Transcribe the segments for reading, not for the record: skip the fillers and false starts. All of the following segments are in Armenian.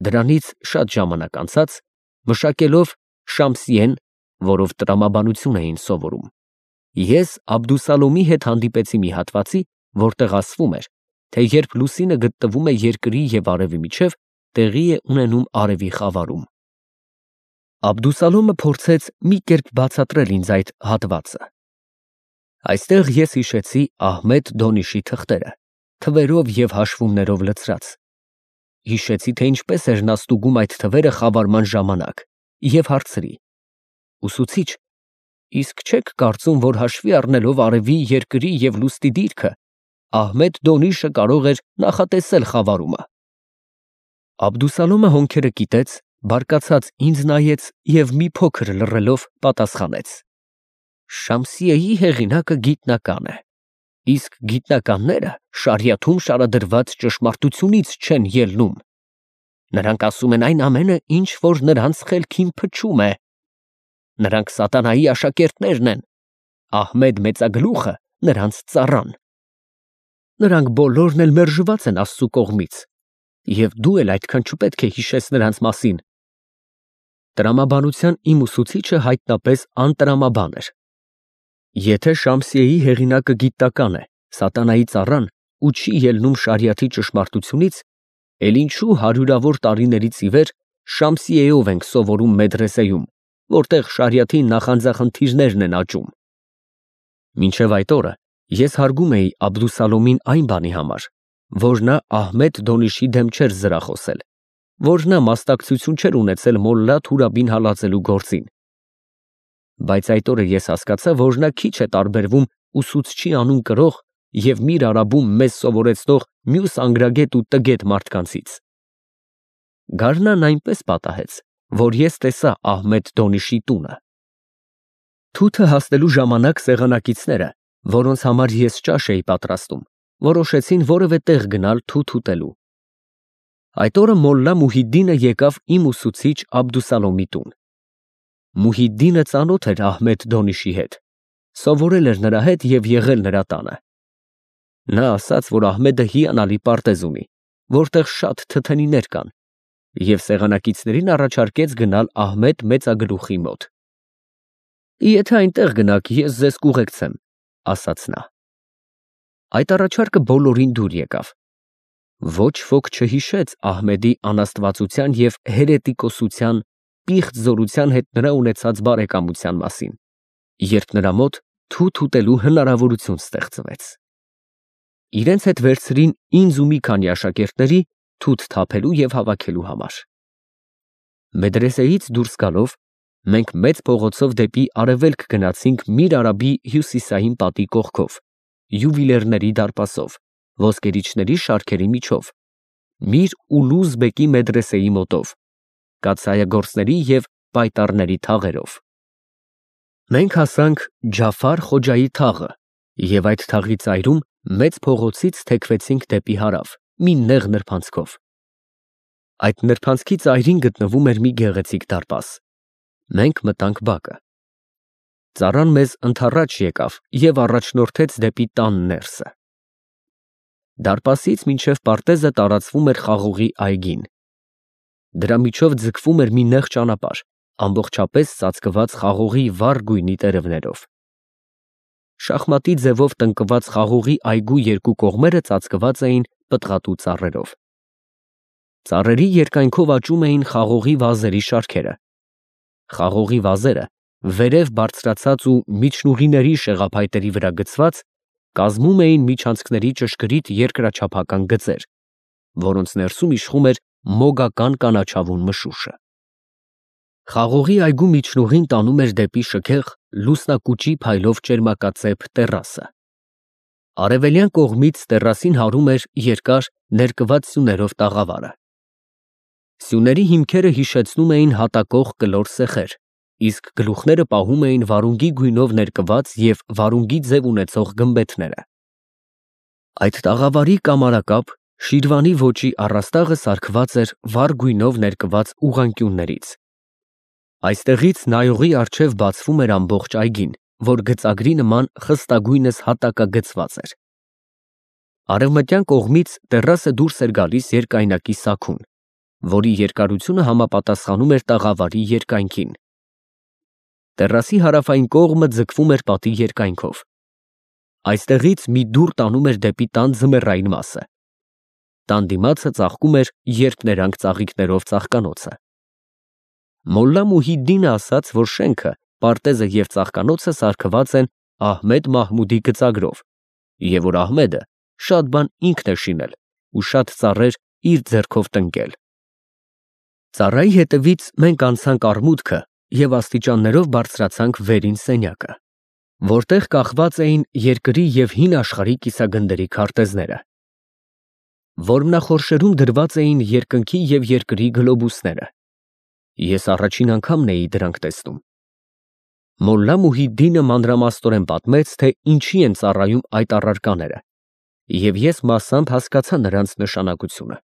Դրանից շատ ժամանակ անցած, մշակելով Շամսիեն, որով տրամաբանություն էին սովորում, ես Աբդուսալոմի հետ հանդիպեցի մի հատվածի, որտեղ ասվում էր, թե երբ լուսինը գտնվում է երկրի և արևի միջև, տեղի է ունենում արևի խավարում։ Աբդուսալոմը փորձեց մի կերպ բացատրել ինձ այդ հատվածը։ Այստեղ ես հիշեցի Ահմեդ Դոնիշի թղթերը, թվերով և հաշվումներով լցրած։ Հիշեցի, թե ինչպես էր նա ստուգում այդ թվերը խավարման ժամանակ, և հարցրի. «Ուսուցիչ, իսկ չեք կարծում, որ հաշվի առնելով արևի, երկրի և լուսնի դիրքը, Ահմեդ Դոնիշը կարող էր նախատեսել խավարումը»։ Աբդուսալոմը հոնքերը կիտեց, բարկացած ինձ նայեց և մի փոքր լռելով պատասխանեց. «Շամսիեի հեղինակը գիտնական է, իսկ գիտնականները շարիաթում շարադրված ճշմարտությունից չեն ելնում։ Նրանք ասում են այն ամենը, ինչ որ նրանց խելքին փչում է։ Նրանք սատանայի աշակերտներն են, Ահմեդ մեծագլուխը նրանց ծառան։ Նրանք բոլորն էլ մերժված են Աստծու կողմից, և դու էլ այդքան չպետք է հիշես նրանց մասին»։ Տրամաբանության իմ ուսուցիչը հայտնապես անտրամաբան էր։ Եթե Շամսիեի հեղինակը գիտնական է, սատանայի ծառան ու չի ելնում շարիաթի ճշմարտությունից, էլ ինչու հարյուրավոր տարիներից ի վեր Շամսիեով ենք սովորում մեդրեսեում, որտեղ շարիաթի նախանձախնդիրներն են աճում։ Մինչև այդ օրը ես հարգում էի Աբդուսալոմին այն բանի համար, որ նա Ահմեդ Դոնիշի դեմ չէր զրախոսել, որ նա մասնակցություն չէր ունեցել մոլլա Թուրաբին հալածելու գործին։ Բայց այդ օրը ես հասկացա, որ նա քիչ է տարբերվում ուսուցչի անուն կրող և Միր Արաբում մեզ սովորեցնող մյուս անգրագետ ու տգետ մարդկանցից։ Գարնան այնպես պատահեց, որ ես տեսա Ահմեդ Դոնիշի տունը։ Թութը հասնելու ժամանակ սեղանակիցները, որոնց համար ես ճաշ էի պատրաստում, որոշեցին որևէ տեղ գնալ թութ ուտելու։ Այդ օրը մոլլա Մուհիդդինը եկավ իմ ուսուցիչ Աբդուսալոմի տուն։ Մուհիդդինը ծանոթ էր Ահմեդ Դոնիշի հետ, սովորել էր նրա հետ և եղել նրա տանը։ Նա ասաց, որ Ահմեդը հիանալի պարտեզ ունի, որտեղ շատ թթենիներ կան, և սեղանակիցներին առաջարկեց գնալ Ահմեդ մեծագլուխի մոտ։ «Եթե այնտեղ գնաք, ես ձեզ կուղեկցեմ», ասաց նա։ Այդ առաջարկը բոլորին դուր եկավ։ Ոչ ոք չհիշեց Ահմեդի անաստվածության և հերետիկոսության, պիղծ զորության հետ նրա ունեցած բարեկամության մասին, երբ նրա մոտ թութ ուտելու հնարավորություն ստեղծվեց։ Իրենց հետ վերցրին ինձ ու մի քանի աշակերտների թութ թափելու և հավաքելու համար։ Մեդրեսեից դուրս գալով, մենք մեծ փողոցով դեպի արևելք գնացինք Միր Արաբի հյուսիսային պատի կողքով, յուվիլիրների դարպասով, ոսկերիչների շարքերի միջով, Միր Ուլուզ բեկի մեդրեսեի մոտով, կաթսայագործների և պայտառների թաղերով։ Մենք հասանք Ջաֆար Խոջայի թաղը և այդ թաղի ծայրում մեծ փողոցից թեքվեցինք դեպի հարավ մի նեղ նրբանցքով։ Այդ նրբանցքի ծայրին գտնվում էր մի գեղեցիկ դարպաս։ Մենք մտանք բակը։ Ծառան մեզ ընդառաջ եկավ և առաջնորդեց դեպի տան ներսը։ Դարպասից մինչև պարտեզը տարածվում էր խաղողի այգին։ Դրա միջով ձգվում էր մի նեղ ճանապարհ, ամբողջապես ծածկված խաղողի վառ գույնի տերևներով։ Շախմատի ձևով տնկված խաղողի այգու երկու կողմերը ծածկված էին պտղատու ծառերով։ Ծառերի երկայնքով աճում էին խաղողի վազերի շարքերը։ Խաղողի վազերը, վերև բարձրացած ու միջնուղիների շեղափայտերի վրա գծված, կազմում էին միջանցքների ճշգրիտ երկրաչափական գծեր, որոնց ներսում իշխում էր մոգական կանաչավուն մշուշը։ Խաղողի այգու միջնուղին տանում էր դեպի շքեղ լուսնակուճի փայլով ճերմակածեպ տեռասը։ Արևելյան կողմից տեռասին հարում էր երկար ներկված սյուներով տաղավարը։ Սյուների հիմքերը հիշեցնում էին հատակող կլոր սեխեր, իսկ գլուխները պահում էին վարունգի գույնով ներկված և վարունգի ձև ունեցող գմբեթները։ Այդ տաղավարի կամարակապ, շիրվանի ոճի առաստաղը սարքված էր վառ գույնով ներկված ուղղանկյուններից։ Այստեղից նայողի առջև բացվում էր ամբողջ այգին, որ գծագրի նման խստագույնս հատակագծված էր։ Արևմտյան կողմից տեռասը դուրս էր գալիս երկայնակի սաքուն, որի երկարությունը համապատասխանում էր տաղավարի երկայնքին։ Տեռասի հարավային կողմը ձգվում էր պատի երկայնքով։ Այստեղից մի դուռ տանում էր դեպի տան ձմեռային մասը։ Տան դիմացը ծաղկում էր երփներանգ ծաղիկներով ծաղկանոցը։ Մոլլա Մուհիդդինը ասաց, որ շենքը, պարտեզը և ծաղկանոցը սարքված են Ահմեդ Մահմուդի գծագրով, և որ Ահմեդը շատ բան ինքն է շինել ու շատ ծառեր իր ձեռքով տնկել։ Ծառայի հետևից մենք անցանք արմուտքը և աստիճաններով բարձրացանք վերին սենյակը, որտեղ կախված էին երկրի և հին աշխարհի կիսագնդերի քարտեզները։ Որմնախորշերում դրված էին երկնքի և երկրի գլոբուսները։ Ես առաջին անգամն էի դրանք տեսնում։ Մոլլա Մուհիդդինը մանրամասնորեն պատմեց, թե ինչի են ծառայում այդ առարկաները, և ես մասամբ հասկացա նրանց նշանակությունը։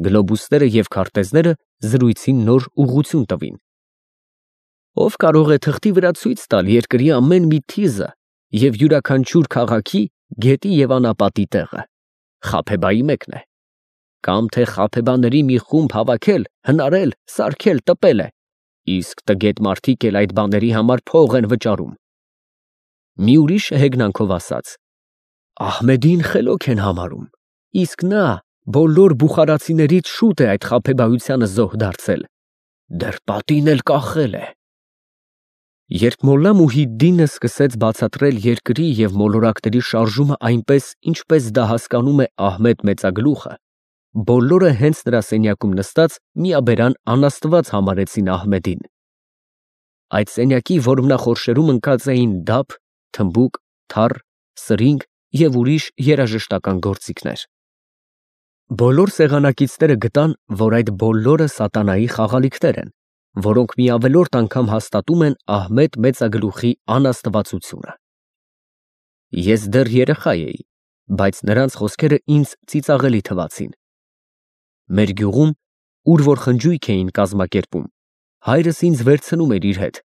Գլոբուսները և քարտեզները զրույցին նոր ուղղություն տվին։ Ով կարող է թղթի վրա ցույց տալ երկրի ամեն մի թիզը և յուրաքանչյուր քաղաքի, գետի և անապատի տեղը, Խաբեբայի մեկն է, կամ թե խաբեբաների մի խումբ հավաքել, հնարել, սարքել, տպել է, իսկ տգետ մարդիկ էլ այդ բաների համար փող են վճարում։ Մի ուրիշը հեգնանքով ասաց. Ահմեդին խելոք են համարում, իսկ նա բոլոր բուխարացիներից շուտ է այդ խաբեբայությանը զոհ դարձել, դեռ պատին էլ կախել է։ Երբ Մոլլա Մուհիդդինը սկսեց բացատրել երկրի և մոլորակների շարժումը այնպես, ինչպես դա հասկանում է Ահմեդ մեծագլուխը, բոլորը հենց նրա սենյակում նստած միաբերան անաստված համարեցին Ահմեդին։ Այդ սենյակի որմնախորշերում ընկած էին դափ, թմբուկ, թառ, սրինգ և ուրիշ երաժշտական գործիքներ։ Բոլոր սեղանակիցները գտան, որ այդ բոլորը սատանայի խաղալիքներ են, որոնք մի ավելորդ անգամ հաստատում են Ահմեդ մեծագլուխի անաստվածությունը։ Ես դեռ երեխա էի, բայց նրանց խոսքերը ինձ ծիծաղելի թվացին։ Մեր գյուղում, ուր որ խնջույք էին կազմակերպում, հայրս ինձ վերցնում էր իր հետ,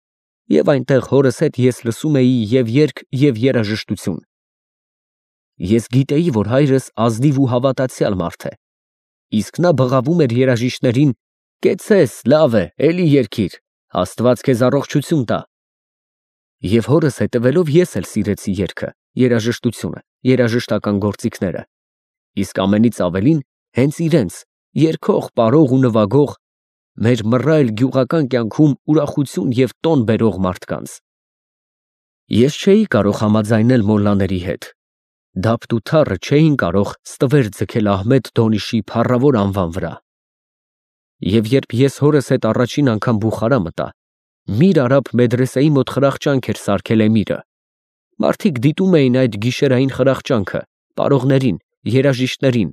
և այնտեղ հորս հետ ես լսում էի և երգ, և երաժշտություն։ Ես գիտեի, որ հայրս ազնիվ ու հավատացյալ մարդ է, իսկ նա բղավում էր երաժիշտներին. «Կեցցես, լավ է, էլի երգիր, Աստված քեզ առողջություն տա»։ Եվ հորս հետևելով ես էլ սիրեցի երգը, երաժշտությունը, երաժշտական գործիքները, իսկ ամենից ավելին հենց իրենց, երգող, պարող ու նվագող, մեր մռայլ գյուղական կյանքում ուրախություն և տոն բերող մարդկանց։ Ես չէի կարող համաձայնել մոլլաների հետ։ Դափտ ու թառը չէին կարող ստվեր ձգել Ահմեդ Դոնիշի փառավոր անվան վրա։ Եվ երբ ես հորս հետ առաջին անգամ Բուխարա մտա, Միր Արաբ մեդրեսեի մոտ խրախճանք էր սարքել էմիրը։ Մարդիկ դիտում էին այդ գիշերային խրախճանքը, պարողներին, երաժիշտներին,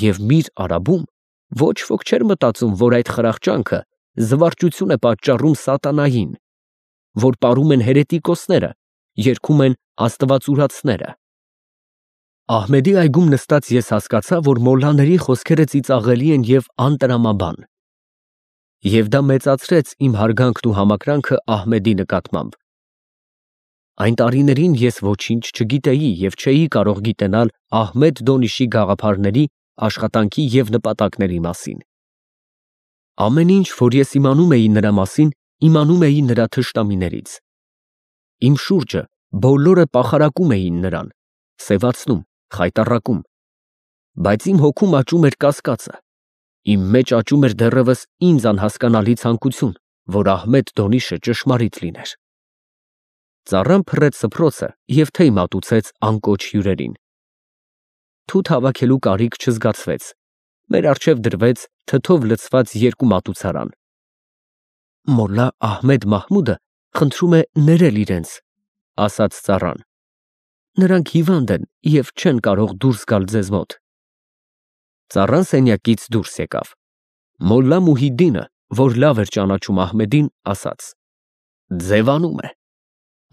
և Միր Արաբում ոչ ոք չէր մտածում, որ այդ խրախճանքը զվարճություն է պատճառում սատանային, որ պարում են հերետիկոսները, երգում են աստվածուրացները։ Ահմեդի այգում նստած ես հասկացա, որ մոլլաների խոսքերը ծիծաղելի են և անտրամաբան։ Եվ դա մեծացրեց իմ հարգանքն ու համակրանքը Ահմեդի նկատմամբ։ Այն տարիներին ես ոչինչ չգիտեի և չէի կարող գիտենալ Ահմեդ Դոնիշի գաղափարների, աշխատանքի և նպատակների մասին։ Ամեն ինչ, որ ես իմանում էի նրա մասին, իմանում էի նրա թշնամիներից։ Իմ շուրջը բոլորը պախարակում էին նրան, սևացնում, խայտառակում, բայց իմ հոգում աճում էր կասկածը, իմ մեջ աճում էր դեռևս ինձ անհասկանալի ցանկություն, որ Ահմեդ Դոնիշը ճշմարիտ լիներ։ Ծառան փռեց սփռոցը և թեյ մատուցեց անկոչ հյուրերին։ Թութ հավաքելու կարիք չզգացվեց, մեր առջև դրվեց թթով լցված երկու մատուցարան։ Մոլլա Ահմեդ Մահմուդը խնդրում է ներել իրենց, ասաց ծառան։ Նրանք հիվանդ են և չեն կարող դուրս գալ ձեզ մոտ։ Ծառան սենյակից դուրս եկավ։ Մոլլա Մուհիդդինը, որ լավ էր ճանաչում Ահմեդին, ասաց. Ձևանում է։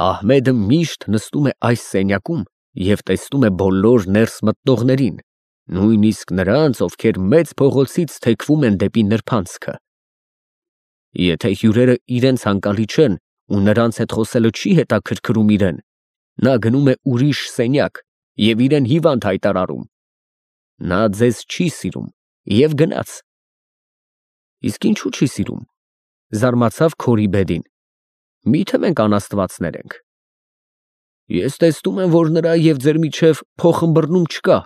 Ահմեդը միշտ նստում է այս սենյակում և տեսնում է բոլոր ներս մտնողներին, նույնիսկ նրանց, ովքեր մեծ փողոցից թեքվում են դեպի նրբանցքը։ Եթե հյուրերը իրենց հանկալի չեն ու նրանց հետ խոսելը չի հետաքրքրում իրեն, նա գնում է ուրիշ սենյակ և իրեն հիվանդ հայտարարում։ Նա ձեզ չի սիրում և գնաց, Իսկ ինչու չի սիրում։ Զարմացավ Քորիբեդին։ Միթե մենք անաստվածներ ենք։ Ես տեսնում եմ, որ նրա և ձեր միջև փոխըմբռնում չկա,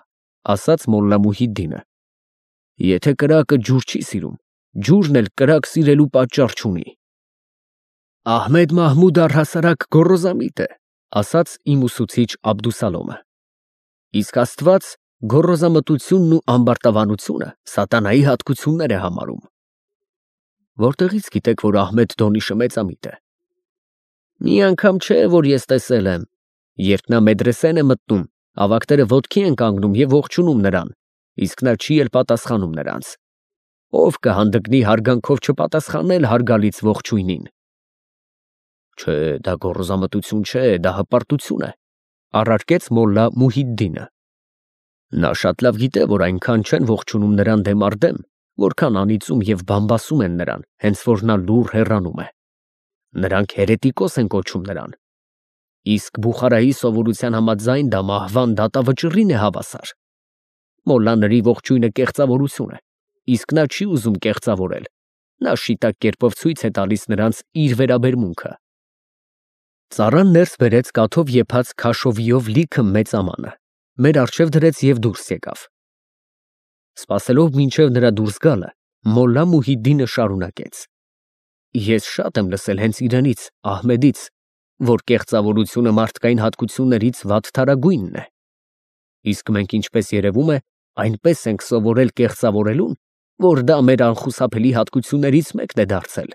ասաց Մոլլա Մուհիդդինը։ Եթե կրակը ջուր չի սիրում, ջուրն էլ կրակ սիրելու պատճառ չունի։ Ահմեդ Մահմուդ առհասարակ գոռոզամիտ է, ասաց իմ ուսուցիչ Աբդուսալոմը։ Իսկ Աստված գոռոզամտությունն ու ամբարտավանությունը սատանայի հատկություններ է համարում։ Որտեղից գիտեք, որ Ահմեդ Դոնիշը մեծամիտ է։ Մի անգամ չէ, որ ես տեսել եմ, երբ նա մեդրեսեն է մտնում, ավագները ոտքի են կանգնում և ողջունում նրան, իսկ նա չի էլ պատասխանում նրանց։ Ով կհանդգնի հարգանքով չպատասխանել հարգալից ողջույնին։ Չէ, դա գոռոզամտություն չէ, դա հպարտություն է, առարկեց Մոլլա Մուհիդդինը։ Նա շատ լավ գիտե, որ այնքան չեն ողջունում նրան դեմ առ դեմ, որքան անիծում և բամբասում են նրան, հենց որ նա լուռ հեռանում է։ Նրանք հերետիկոս են կոչում նրան։ Իսկ Բուխարայի սովորության համաձայն դա մահվան դատավճռին է հավասար։ Մոլլաների ողջույնը կեղծավորություն է, իսկ նա չի ուզում կեղծավորել։ Նա շիտակ կերպով ցույց է տալիս նրանց իր վերաբերմունքը։ Ծառան ներս բերեց կաթով եփած քաշովիով լիքը մեծ ամանը, մեր առջև դրեց և դուրս եկավ։ Սպասելով մինչև նրա դուրս գալը, Մոլլա Մուհիդդինը շարունակեց. Ես շատ եմ լսել հենց իրենից, Ահմեդից, որ կեղծավորությունը մարդկային հատկություններից վատթարագույնն է։ Իսկ մենք, ինչպես երևում է, այնպես ենք սովորել կեղծավորելուն, որ դա մեր անխուսափելի հատկություններից մեկն է դարձել։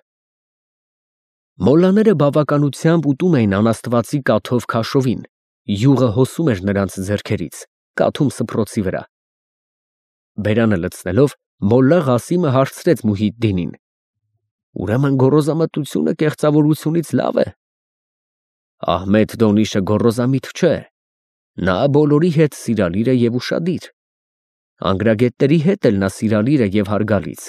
Մոլլաները բավականությամբ ուտում էին անաստվածի կաթով քաշովին, յուղը հոսում էր նրանց ձեռքերից, կաթում սփռոցի վրա։ Բերանը լցնելով, Մոլլա Ղասիմը հարցրեց Մուհիդդինին. Ուրեմն գոռոզամտությունը կեղծավորությունից լավ է։ Ահմեդ Դոնիշը գոռոզամիտ չէ։ Նա բոլորի հետ սիրալիր է և ուշադիր։ Անգրագետների հետ էլ նա սիրալիր է և հարգալից։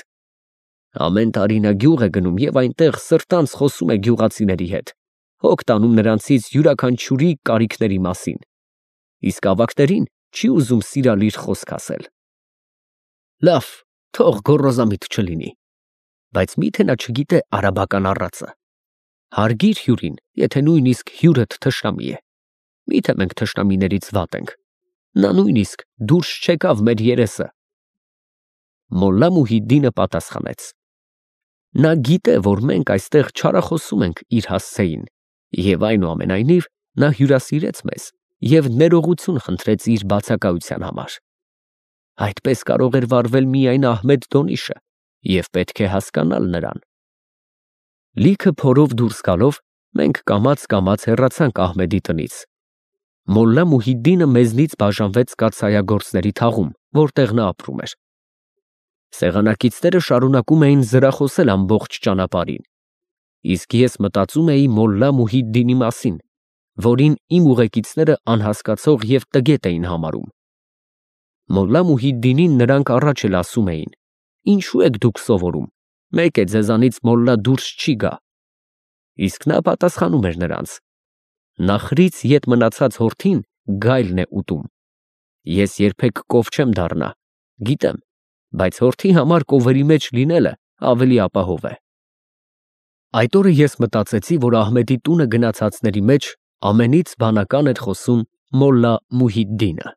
Ամեն տարի նա գյուղ է գնում և այնտեղ սրտանց խոսում է գյուղացիների հետ, հոգ տանում նրանցից յուրաքանչյուրի կարիքների մասին, իսկ ավագներին չի ուզում սիրալիր խոսք ասել։ Լավ, թող գոռոզամիտ չլինի, բայց միթե նա չգիտե արաբական առածը։ Հարգիր հյուրին, եթե նույնիսկ հյուրդ թշնամի է։ Միթե մենք թշնամիներից վատ ենք։ Նա նույնիսկ դուրս չեկավ մեր երեսը։ Մոլլա Մուհիդդինը պատասխանեց. Նա գիտե, որ մենք այստեղ չարախոսում ենք իր հասցեին, և այնուամենայնիվ նա հյուրասիրեց մեզ և ներողություն խնդրեց իր բացակայության համար։ Այդպես կարող էր վարվել միայն Ահմեդ Դոնիշը, և պետք է հասկանալ նրան։ Լիքը փորով դուրս գալով, մենք կամաց հեռացանք Ահմեդի տնից։ Մոլլա Մուհիդդինը մեզնից բաժանվեց կաթսայագործների թաղում, որտեղ նա ապրում էր։ Սեղանակիցները շարունակում էին զրախոսել ամբողջ ճանապարհին, իսկ ես մտածում էի Մոլլա Մուհիդդինի մասին, որին իմ ուղեկիցները անհասկացող և տգետ էին համարում։ Մոլլա Մուհիդդինին նրանք առաջ էլ ասում էին. Ինչու եք դուք սովորում, մեկ է ձեզանից մոլլա դուրս չի գա։ Իսկ նա պատասխանում էր նրանց. Նախրից ետ մնացած հորթին գայլն է ուտում։ Ես երբեք կով չեմ դառնա, գիտեմ, բայց հորթի համար կովերի մեջ լինելը ավելի ապահով է։ Այդ օրը ես մտածեցի, որ Ահմեդի տունը գնացածների մեջ ամենից բանական էր խոսում Մոլլա Մուհիդդինը։